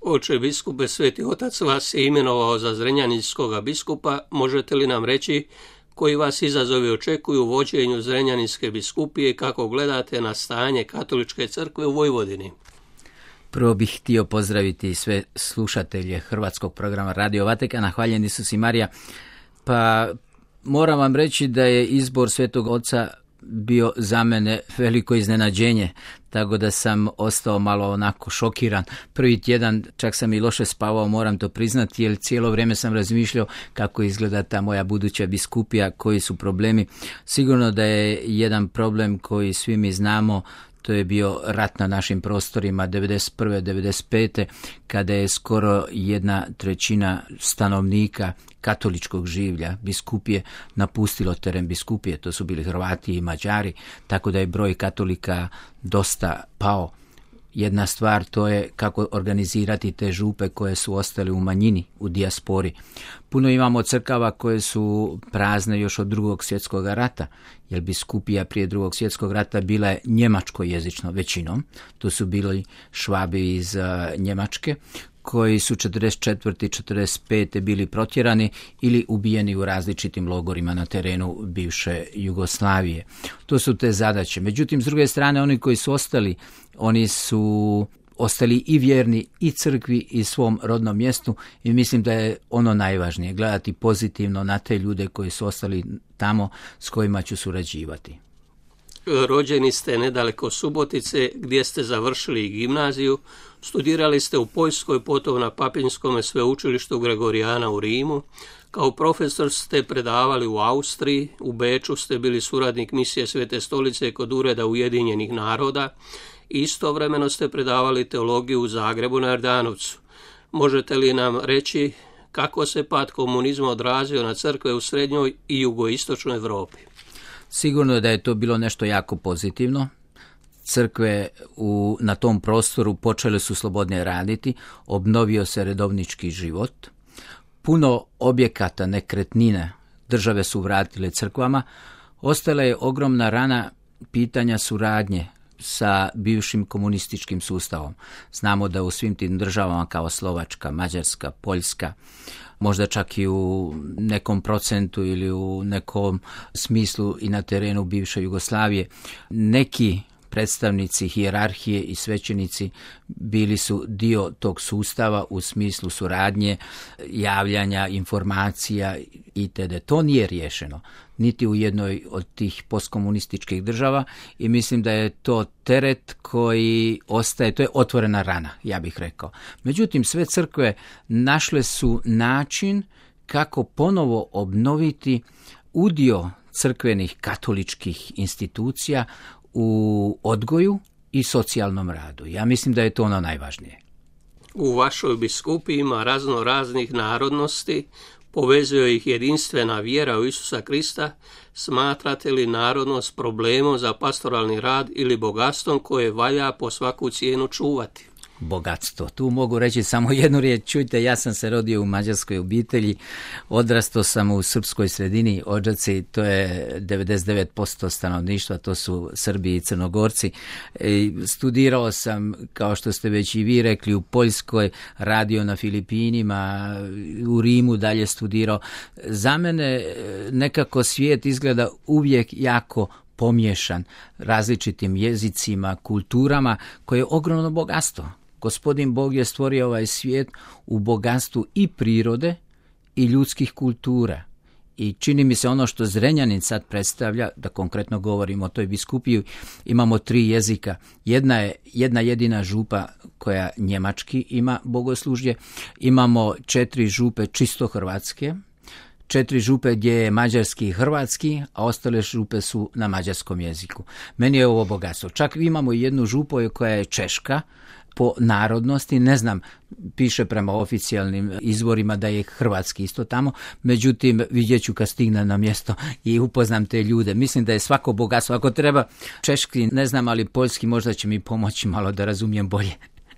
Oče biskupe, Sveti Otac vas je imenovao za zrenjaninskoga biskupa. Možete li nam reći koji vas izazovi očekuju u vođenju Zrenjaninske biskupije i kako gledate na stanje Katoličke crkve u Vojvodini? Prvo bih htio pozdraviti sve slušatelje hrvatskog programa Radio Vatikana. Hvaljen Isus i Marija. Pa moram vam reći da je izbor Svetog Oca bio za mene veliko iznenađenje, tako da sam ostao malo onako šokiran. Prvi tjedan čak sam i loše spavao, moram to priznati, jer cijelo vrijeme sam razmišljao kako izgleda ta moja buduća biskupija, koji su problemi. Sigurno da je jedan problem koji svi mi znamo, to je bio rat na našim prostorima 91. 95. kada je skoro 1/3 stanovnika katoličkog življa biskupije napustilo teren biskupije. To su bili Hrvati i Mađari, tako da je broj katolika dosta pao. Jedna stvar to je kako organizirati te župe koje su ostale u manjini, u dijaspori. Puno imamo crkava koje su prazne još od Drugog svjetskog rata, jer biskupija prije Drugog svjetskog rata bila je njemačkojezično većinom. Tu su bili Švabi iz Njemačke, koji su 44. 45. bili protjerani ili ubijeni u različitim logorima na terenu bivše Jugoslavije. To su te zadaće. Međutim, s druge strane, oni koji su ostali, oni su ostali i vjerni i crkvi i svom rodnom mjestu i mislim da je ono najvažnije, gledati pozitivno na te ljude koji su ostali tamo s kojima ću surađivati. Rođeni ste nedaleko Subotice, gdje ste završili gimnaziju, studirali ste u Poljskoj, potom na Papinskome sveučilištu Gregorijana u Rimu. Kao profesor ste predavali u Austriji, u Beču ste bili suradnik misije Svete stolice kod Ureda Ujedinjenih naroda. Istovremeno ste predavali teologiju u Zagrebu na Jordanovcu. Možete li nam reći kako se pad komunizma odrazio na crkve u srednjoj i jugoistočnoj Europi? Sigurno je da je to bilo nešto jako pozitivno. Crkve na tom prostoru počele su slobodnije raditi, obnovio se redovnički život. Puno objekata, nekretnine države su vratile crkvama. Ostala je ogromna rana pitanja suradnje sa bivšim komunističkim sustavom. Znamo da u svim tim državama kao Slovačka, Mađarska, Poljska, možda čak i u nekom procentu ili u nekom smislu i na terenu bivše Jugoslavije, neki predstavnici hijerarhije i svećenici bili su dio tog sustava u smislu suradnje, javljanja, informacija itd. To nije riješeno niti u jednoj od tih postkomunističkih država i mislim da je to teret koji ostaje, to je otvorena rana, ja bih rekao. Međutim, sve crkve našle su način kako ponovo obnoviti udio crkvenih katoličkih institucija u odgoju i socijalnom radu. Ja mislim da je to ono najvažnije. U vašoj biskupiji ima razno raznih narodnosti, povezuje ih jedinstvena vjera u Isusa Krista. Smatrate li narodnost problemom za pastoralni rad ili bogatstvom koje valja po svaku cijenu čuvati? Bogatstvo. Tu mogu reći samo jednu riječ. Čujte, ja sam se rodio u mađarskoj obitelji, odrastao sam u srpskoj sredini, Odžaci, to je 99% stanovništva, to su Srbi i Crnogorci. Studirao sam, kao što ste već i vi rekli, u Poljskoj, radio na Filipinima, u Rimu dalje studirao. Za mene nekako svijet izgleda uvijek jako pomiješan različitim jezicima, kulturama, koje je ogromno bogatstvo. Gospodin Bog je stvorio ovaj svijet u bogatstvu i prirode i ljudskih kultura. I čini mi se ono što Zrenjanin sad predstavlja, da konkretno govorimo o toj biskupiji, imamo 3 jezika. Jedna jedina župa koja njemački ima bogoslužje, imamo 4 župe čisto hrvatske, 4 župe gdje je mađarski i hrvatski, a ostale župe su na mađarskom jeziku. Meni je ovo bogatstvo. Čak imamo jednu župu koja je češka po narodnosti, ne znam, piše prema oficijalnim izvorima da je hrvatski isto tamo, međutim vidjet ću kad stignem na mjesto i upoznam te ljude. Mislim da je svako bogatstvo. Ako treba češki, ne znam, ali poljski možda će mi pomoći malo da razumijem bolje.